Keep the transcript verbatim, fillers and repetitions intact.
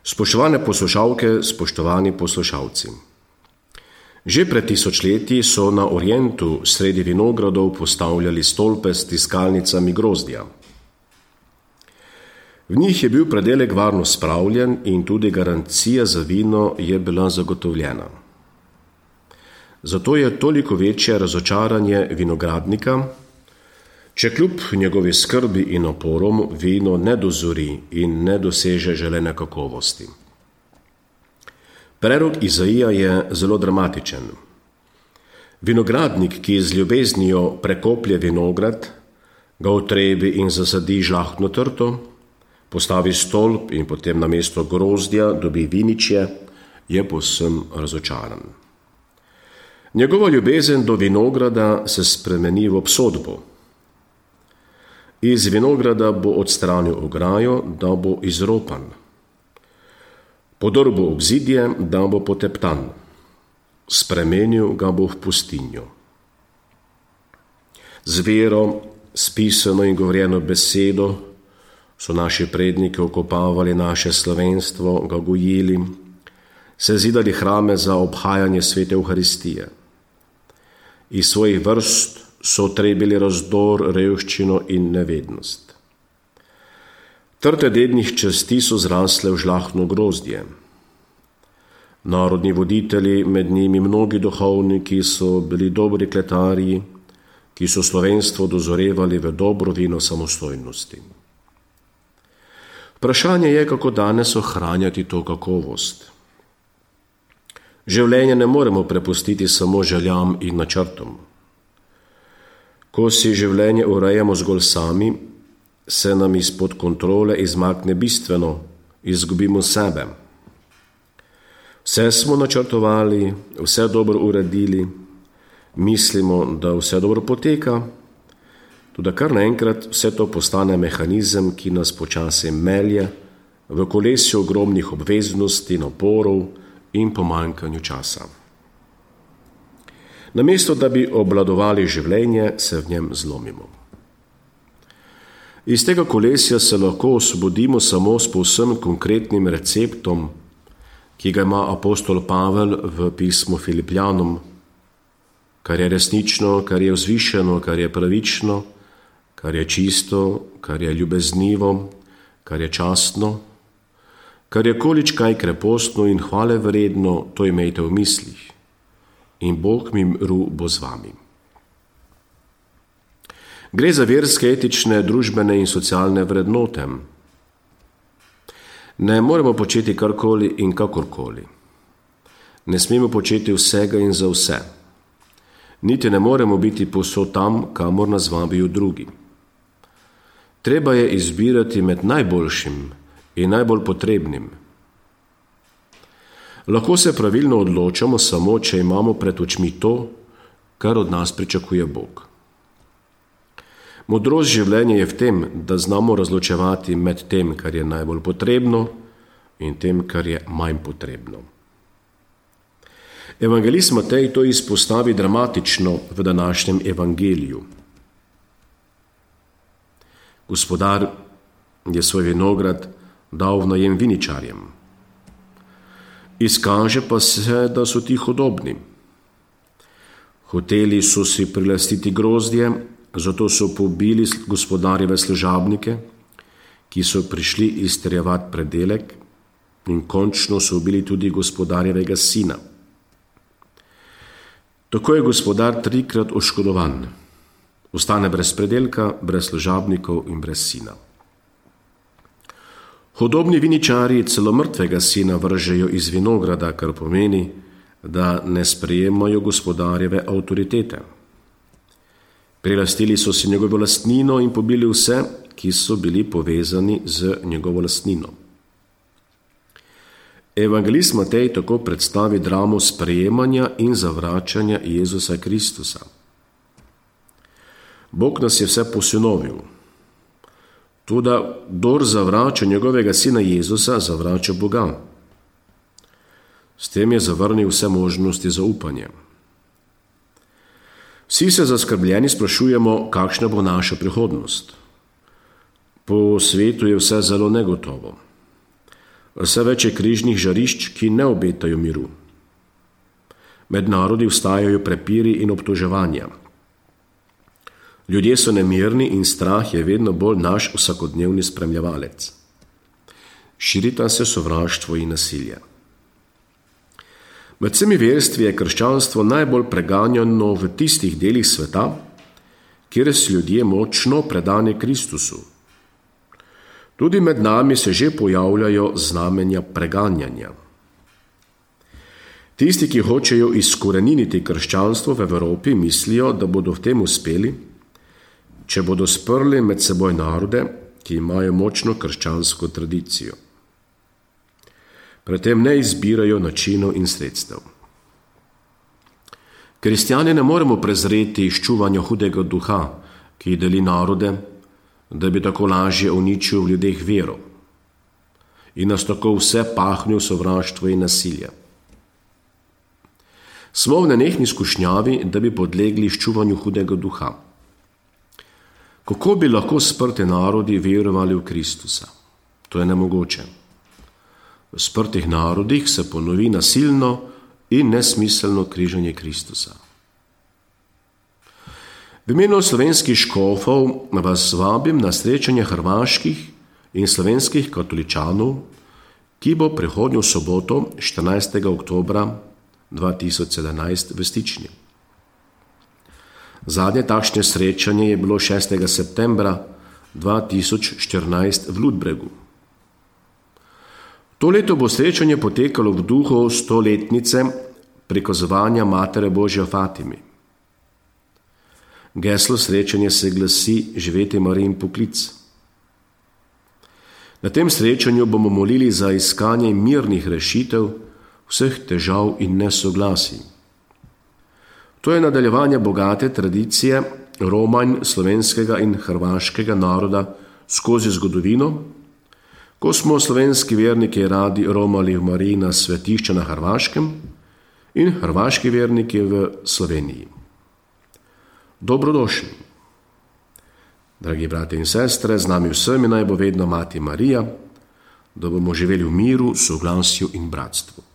Spoštovane poslušalke, spoštovani poslušalci. Že pred tisočletji so na Orientu sredi vinogradov postavljali stolpe s tiskalnicami grozdja. V njih je bil predelek varno spravljen in tudi garancija za vino je bila zagotovljena. Zato je toliko večje razočaranje vinogradnika, če kljub njegovi skrbi in naporom vino ne dozori in ne doseže želene kakovosti. Prerok Izaija je zelo dramatičen. Vinogradnik, ki z ljubeznijo prekoplje vinograd, ga utrebi in zasadi žlahtno trto, postavi stolp in potem namesto grozdja dobi viničje, je povsem razočaran. Njegova ljubezen do vinograda se spremeni v obsodbo. Iz vinograda bo odstranil ograjo, da bo izropan. Podrl bo obzidje, da bo poteptan. Spremenil ga bo v pustinjo. Z vero, s pisano in govorjeno besedo so naši predniki okopavali naše slovenstvo, ga gojili, se zidali hrame za obhajanje svete Evharistije. Iz svojih vrst so trebili razdor, revščino in nevednost. Trte dednih časti so zrasle v žlahtno grozdje. Narodni voditelji, med njimi mnogi duhovniki, so bili dobri kletarji, ki so slovenstvo dozorevali v dobro vino samostojnosti. Vprašanje je, kako danes ohranjati to kakovost. Življenje ne moremo prepustiti samo željam in načrtom. Ko si življenje urejamo zgolj sami, se nam izpod kontrole izmakne bistveno, izgubimo sebe. Vse smo načrtovali, vse dobro uredili, mislimo, da vse dobro poteka, tudi kar naenkrat vse to postane mehanizem, ki nas počasi melje v kolesju ogromnih obveznosti, naporov in pomanjkanju časa. Namesto, da bi obvladovali življenje, se v njem zlomimo. Iz tega kolesja se lahko osvobodimo samo s povsem konkretnim receptom, ki ga ima apostol Pavel v pismu Filipljanom, kar je resnično, kar je vzvišeno, kar je pravično, kar je čisto, kar je ljubeznivo, kar je častno, kar je količkaj krepostno in hvale vredno, to imejte v mislih. In Bog miru bo z vami. Gre za verske, etične, družbene in socialne vrednote. Ne moremo početi karkoli in kakorkoli. Ne smemo početi vsega in za vse. Niti ne moremo biti povsod tam, kamor nas vabijo drugi. Treba je izbirati med najboljšim in najbolj potrebnim. Lahko se pravilno odločamo samo, če imamo pred očmi to, kar od nas pričakuje Bog. Modrost življenja je v tem, da znamo razločevati med tem, kar je najbolj potrebno in tem, kar je manj potrebno. Evangelist Matej to izpostavi dramatično v današnjem evangeliju. Gospodar je svoj vinograd dal v najem viničarjem. Izkaže pa se, da so ti hudobni. Hoteli so si prilastiti grozdje, zato so pobili gospodarjeve služabnike, ki so prišli izterjevati predelek, in končno so ubili tudi gospodarjevega sina. Tako je gospodar trikrat oškodovan. Ostane brez predelka, brez služabnikov in brez sina. Hudobni viničari celo mrtvega sina vržejo iz vinograda, kar pomeni, da ne sprejemajo gospodarjeve avtoritete. Prilastili so si njegovo lastnino in pobili vse, ki so bili povezani z njegovo lastnino. Evangelist Matej tako predstavi dramo sprejemanja in zavračanja Jezusa Kristusa. Bog nas je vse posinovil. Toda kdor zavrača njegovega sina Jezusa, zavrača Boga. S tem je zavrnil vse možnosti za upanje. Vsi se zaskrbljeni sprašujemo, kakšna bo naša prihodnost. Po svetu je vse zelo negotovo. Vse več je križnih žarišč, ki ne obetajo miru. Med narodi vstajajo prepiri in obtoževanja. Ljudje so nemirni in strah je vedno bolj naš vsakodnevni spremljevalec. Širita se sovraštvo in nasilje. Med vsemi verstvi je krščanstvo najbolj preganjano v tistih delih sveta, kjer so ljudje močno predani Kristusu. Tudi med nami se že pojavljajo znamenja preganjanja. Tisti, ki hočejo izkoreniniti krščanstvo v Evropi, mislijo, da bodo v tem uspeli, če bodo sprli med seboj narode, ki imajo močno krščansko tradicijo. Pri tem ne izbirajo načinov in sredstev. Kristjani ne moremo prezreti izčuvanja hudega duha, ki deli narode, da bi tako lažje uničil v ljudeh vero in nas tako vse pahnil sovraštvo in nasilje. Smo v nenehni skušnjavi, da bi podlegli izčuvanju hudega duha. Kako bi lahko sprti narodi verovali v Kristusa? To je nemogoče. V sprtih narodih se ponovi nasilno in nesmiselno križanje Kristusa. V imenu slovenskih škofov vas vabim na srečanje hrvaških in slovenskih katoličanov, ki bo prihodnjo soboto, štirinajstega oktobra dva tisoč sedemnajst v Stični. Zadnje takšne srečanje je bilo šestega septembra dva tisoč štirinajst v Ludbregu. To leto bo srečanje potekalo v duhu stoletnice prikazovanja Matere Božje v Fatimi. Geslo srečanja se glasi Živeti Marijin poklic. Na tem srečanju bomo molili za iskanje mirnih rešitev vseh težav in nesoglasij. To je nadaljevanje bogate tradicije romanj slovenskega in hrvaškega naroda skozi zgodovino, ko smo slovenski verniki radi romali v Marijina svetišča na Hrvaškem in hrvaški verniki v Sloveniji. Dobrodošli. Dragi brati in sestre, z nami vsemi naj bo vedno Mati Marija, da bomo živeli v miru, soglasju in bratstvu.